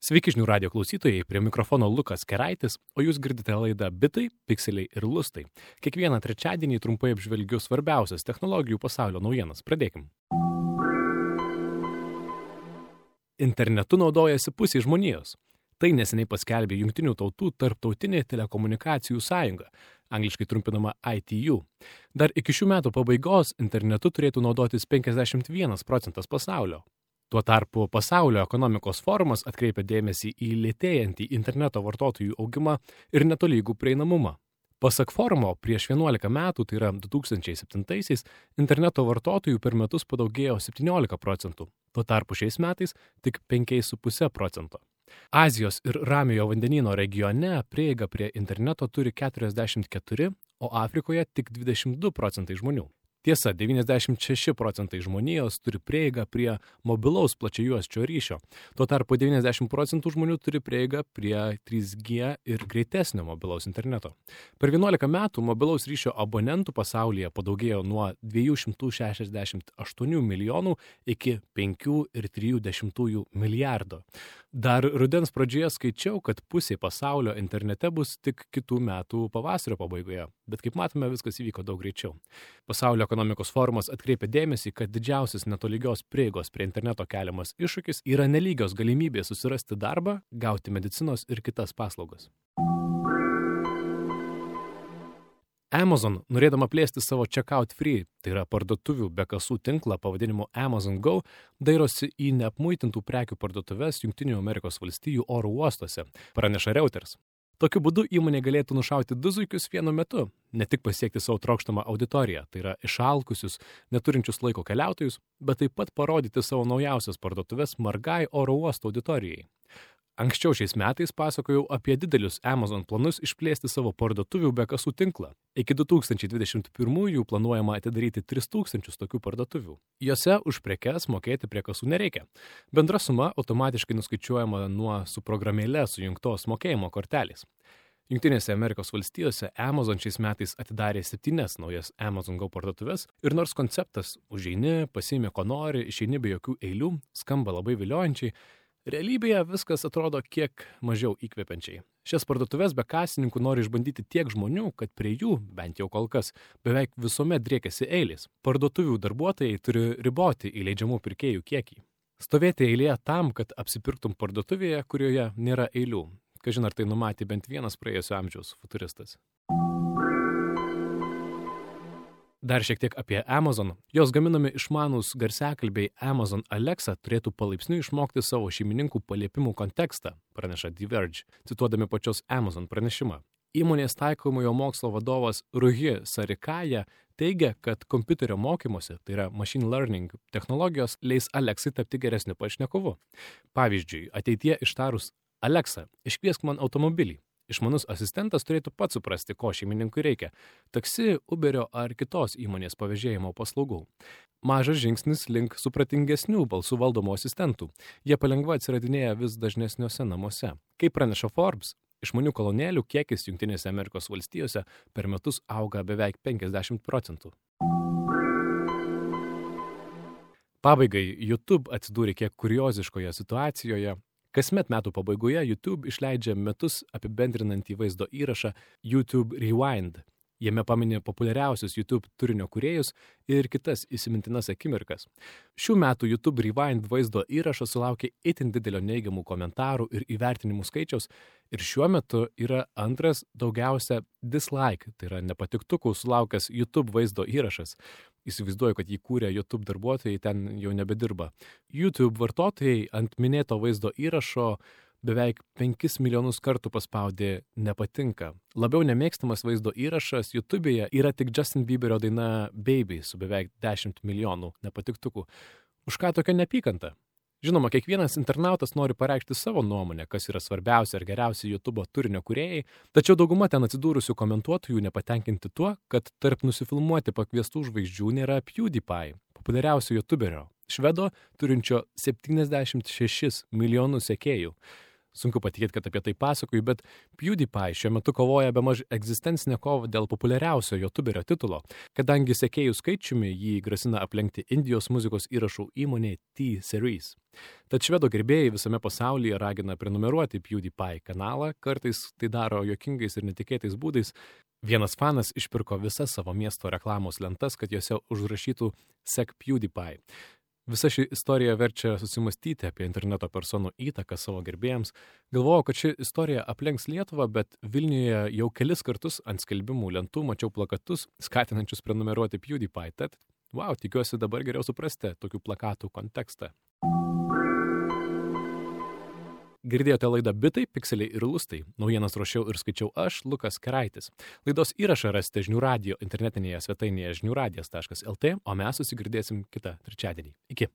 Sveiki žinių radio klausytojai, prie mikrofono Lukas Keraitis, o jūs girdite laidą Bitai, Pikseliai ir Lustai. Kiekvieną trečiadienį trumpai apžvelgiu svarbiausias technologijų pasaulio naujienas. Pradėkim. Internetu naudojasi pusė žmonijos. Tai neseniai paskelbė Jungtinių tautų tarptautinė telekomunikacijų sąjunga, angliškai trumpinama ITU. Dar iki šių metų pabaigos internetu turėtų naudotis 51% pasaulio. Tuo tarpu Pasaulio ekonomikos forumas atkreipia dėmesį į lėtėjantį interneto vartotojų augimą ir netolygų prieinamumą. Pasak forumo, prieš 11 metų, tai yra 2007-aisiais, interneto vartotojų per metus padaugėjo 17%, tuo tarpu šiais metais tik 5,5%. Azijos ir Ramiojo vandenyno regione prieiga prie interneto turi 44, o Afrikoje tik 22% žmonių. Tiesa, 96% žmonijos turi prieigą prie mobilaus plačiajuosčio ryšio. Tuo tarpu 90% žmonių turi prieigą prie 3G ir greitesnio mobilaus interneto. Per 11 metų mobilaus ryšio abonentų pasaulyje padaugėjo nuo 268 milijonų iki 5,3 milijardo. Dar rudens pradžioje skaičiau, kad pusė pasaulio internete bus tik kitų metų pavasario pabaigoje, bet kaip matome, viskas įvyko daug greičiau. Pasaulio ekonomikos forumas atkreipia dėmesį, kad didžiausias netolygios prieigos prie interneto keliamas iššūkis yra nelygios galimybės susirasti darbą, gauti medicinos ir kitas paslaugas. Amazon, norėdama plėsti savo checkout free, tai yra parduotuvių be kasų tinklą pavadinimu Amazon Go, dairosi į neapmuitintų prekių parduotuves Jungtinių Amerikos valstijų oro uostuose, praneša Reuters. Tokiu būdu įmonė galėtų nušauti du zuikius vienu metu, ne tik pasiekti savo trokštamą auditoriją, tai yra išalkusius, neturinčius laiko keliautojus, bet taip pat parodyti savo naujausias parduotuves margai oro uosto auditorijai. Anksčiau šiais metais pasakojau apie didelius Amazon planus išplėsti savo parduotuvių be kasų tinklą. Iki 2021 planuojama atidaryti 3000 tokių parduotuvių. Jose už prekes mokėti prie kasų nereikia. Bendra suma automatiškai nuskaičiuojama nuo su programėle sujungtos mokėjimo kortelės. Jungtinėse Amerikos valstijose Amazon šiais metais atidarė 7 naujas Amazon Go parduotuves ir nors konceptas užeini, pasiimi ko nori, išeini be jokių eilių, skamba labai viliojančiai, realybėje viskas atrodo kiek mažiau įkvepiančiai. Šias parduotuves be kasininkų nori išbandyti tiek žmonių, kad prie jų, bent jau kol kas, beveik visuomet driekiasi eilės. Parduotuvių darbuotojai turi riboti įleidžiamų pirkėjų kiekį. Stovėti eilėje tam, kad apsipirktum parduotuvėje, kurioje nėra eilių. Kažin ar tai numatė bent vienas praėjusio amžiaus futuristas. Dar šiek tiek apie Amazon. Jos gaminami išmanūs garsiakalbiai Amazon Alexa turėtų palaipsniui išmokti savo šeimininkų paliepimų kontekstą, praneša The Verge, cituodami pačios Amazon pranešimą. Įmonės taikomojo mokslo vadovas Ruhi Sarikaja teigia, kad kompiuterio mokymosi, tai yra machine learning technologijos, leis Alexai tapti geresniu pašnekovu. Pavyzdžiui, ateityje ištarus Alexa, iškviesk man automobilį. Išmanus asistentas turėtų pats suprasti, ko šeimininkui reikia – taksi, Uberio ar kitos įmonės pavėžėjimo paslaugų. Mažas žingsnis link supratingesnių balsų valdomų asistentų. Jie palengva atsiradinėja vis dažnesniuose namuose. Kaip praneša Forbes, išmanių kolonėlių kiekis Jungtinėse Amerikos valstijose per metus auga beveik 50%. Pabaigai, YouTube atsidūrė kiek kurioziškoje situacijoje. Kasmet metų pabaigoje YouTube išleidžia metus apibendrinantį vaizdo įrašą YouTube Rewind. Jame pamini populiariausius YouTube turinio kūrėjus ir kitas įsimintinas akimirkas. Šių metų YouTube Rewind vaizdo įrašas sulaukė itin didelio neigiamų komentarų ir įvertinimų skaičiaus ir šiuo metu yra antras daugiausia dislike, tai yra nepatiktukų sulaukęs YouTube vaizdo įrašas. Įsivaizduoju, kad jį kūrė YouTube darbuotojai, ten jau nebedirba. YouTube vartotojai ant minėto vaizdo įrašo beveik 5 milijonus kartų paspaudė nepatinka. Labiau nemėgstamas vaizdo įrašas YouTube'e yra tik Justin Bieberio daina Baby su beveik 10 milijonų nepatiktukų. Už ką tokia neapykanta? Žinoma, kiekvienas internautas nori pareikšti savo nuomonę, kas yra svarbiausia ir geriausia YouTube'o turinio kūrėjai, tačiau dauguma ten atsidūrusių komentuotojų nepatenkinti tuo, kad tarp nusifilmuoti pakviestų žvaigždžių nėra PewDiePie, populiariausio YouTuberio, švedo turinčio 76 milijonų sekėjų. Sunku patikėti, kad apie tai pasakoju, bet PewDiePie šiuo metu kovoja bemaž egzistencinę kovą dėl populiariausio YouTuberio titulo, kadangi sekėjų skaičiumi jį grasina aplenkti Indijos muzikos įrašų įmonė T-Series. Tad švedo gerbėjai visame pasaulyje ragina prenumeruoti PewDiePie kanalą, kartais tai daro juokingais ir netikėtais būdais. Vienas fanas išpirko visas savo miesto reklamos lentas, kad jose užrašytų "Sek PewDiePie". Visa ši istorija verčia susimastyti apie interneto personų įtaką savo gerbėjams. Galvojau, kad ši istorija aplenks Lietuvą, bet Vilniuje jau kelis kartus ant skelbimų lentų mačiau plakatus, skatinančius prenumeruoti PewDiePie. Tad, tikiuosi dabar geriau suprasti tokių plakatų kontekstą. Girdėjote laidą Bitai, Pikseliai ir Lustai. Naujienas ruošiau ir skaičiau aš, Lukas Keraitis. Laidos įrašą rasite Žinių radijo internetinėje svetainėje žiniųradijas.lt, o mes susigirdėsim kitą trečiadienį. Iki.